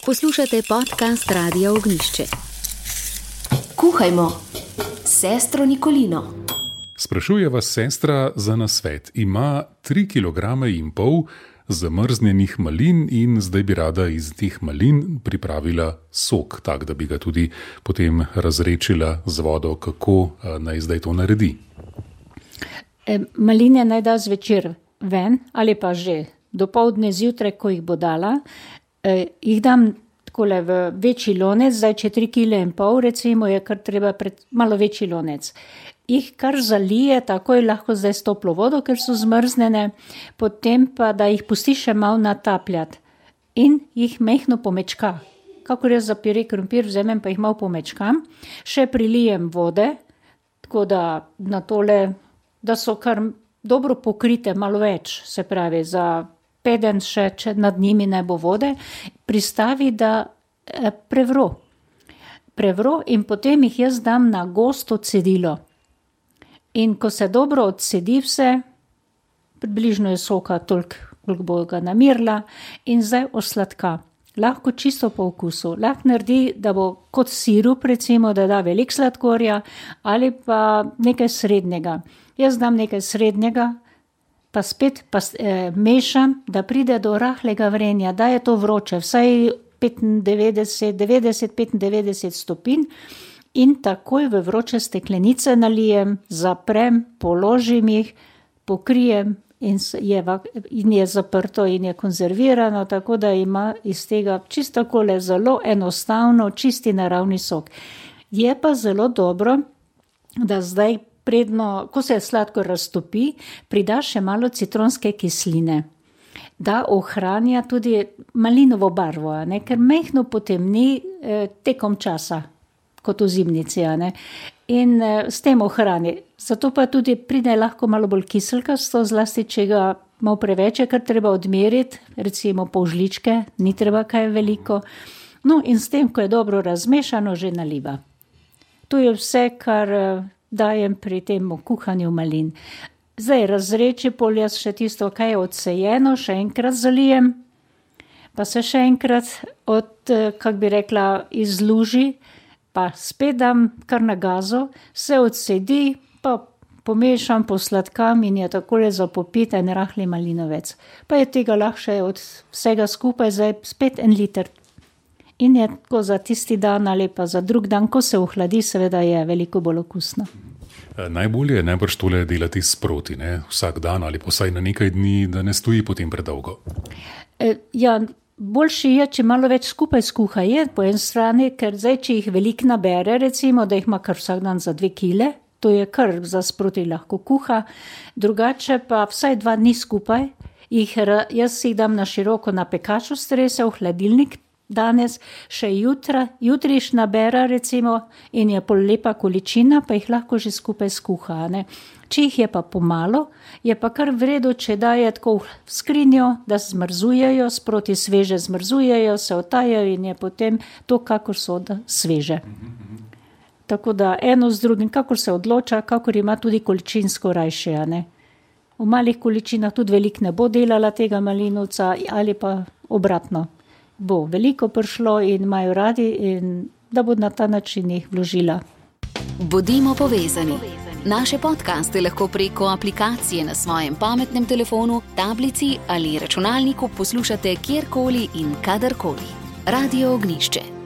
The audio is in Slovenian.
Poslušate podcast Radia Ognjišče. Kuhajmo s sestro Nikolino. Sprašuje vas sestra za nasvet. Ima 3,5 kg zamrznjenih malin in zdaj bi rada iz teh malin pripravila sok, tak, da bi ga tudi potem razrečila z vodo. Kako naj zdaj to naredi? Maline naj da zvečer ven ali pa že dopoldne zjutraj, ko jih bo dala. Jih dam takole v večji lonec, zdaj če 3,5 kg recimo je kar treba malo večji lonec. Jih kar zalije, takoj lahko zdaj s toplo vodo, ker so zmrznjene, potem pa da jih pusti še malo natapljati in jih mehno pomečka. Kakor jaz za pire krompir vzamem, pa jih malo pomečkam, še prilijem vode, tako da na tole, da so kar dobro pokrite, malo več, se pravi za peden še, če nad njimi ne bo vode, pristavi, da prevro in potem jih jaz dam na gosto cedilo. In ko se dobro odsedi vse, približno je soka toliko, koliko bo ga namirila, in zdaj osladka. Lahko čisto po okusu. Lahko naredi, da bo kot sirup, recimo, da da veliko sladkorja ali pa nekaj srednjega. Jaz dam nekaj srednjega, pa spet mešam, da pride do rahlega vrenja, da je to vroče, vsaj 90-95 stopinj in takoj v vroče steklenice nalijem, zaprem, položim jih, pokrijem in je zaprto in je konzervirano, tako da ima iz tega čisto takole zelo enostavno, čisti naravni sok. Je pa zelo dobro, da zdaj predno, ko se sladkor raztopi, prida še malo citronske kisline, da ohranja tudi malinovo barvo, ne? Ker mehno potemni tekom časa, kot v zimnici, ne? In s tem ohrani. Zato pa tudi pride lahko malo bolj kiselkasto, zlasti če ga malo preveč, kar treba odmeriti, recimo pol žličke, ni treba kaj veliko. No in s tem, ko je dobro razmešano, že naliva. To je vse, kar dajem pri tem kuhanju malin. Zdaj razreči pol jaz še tisto, kaj je odsejeno, še enkrat zalijem, pa se še enkrat izluži, pa spet dam kar na gazo, se odsedi, pa pomešam, posladkam in je takole za popiti en rahli malinovec. Pa je tega lahko še od vsega skupaj zdaj spet 1 liter. In je tako za tisti dan ali pa za drug dan, ko se ohladi, seveda je veliko bolj okusno. Najbolje je najbrž tole delati sproti, ne? Vsak dan ali posaj na nekaj dni, da ne stoji potem predolgo. Ja, boljše je, če malo več skupaj skuha je po eni strani, ker zdaj, če jih veliko nabere, recimo, da jih ima kar vsak dan za 2 kile, to je kar za sproti lahko kuha, drugače pa vsaj 2 dni skupaj, jaz jih dam na široko na pekaču strese v hladilnik, danes še jutriš nabera recimo in je pol lepa količina, pa jih lahko že skupaj skuha, ne. Če jih je pa pomalo, je pa kar v redu, če daje tako v skrinjo, da zmrzujejo, sproti sveže zmrzujejo, se otajajo in je potem to, kakor so sveže. Tako da eno z drugim, kakor se odloča, kakor ima tudi količinsko rajše, ne. V malih količinah tudi veliko ne bo delala tega malinovca ali pa obratno. Bo veliko prišlo in imajo radi in da bo na ta način jih vložila. Bodimo povezani. Naše podcaste lahko preko aplikacije na svojem pametnem telefonu, tablici ali računalniku poslušate kjerkoli in kadarkoli. Radio Ognjišče.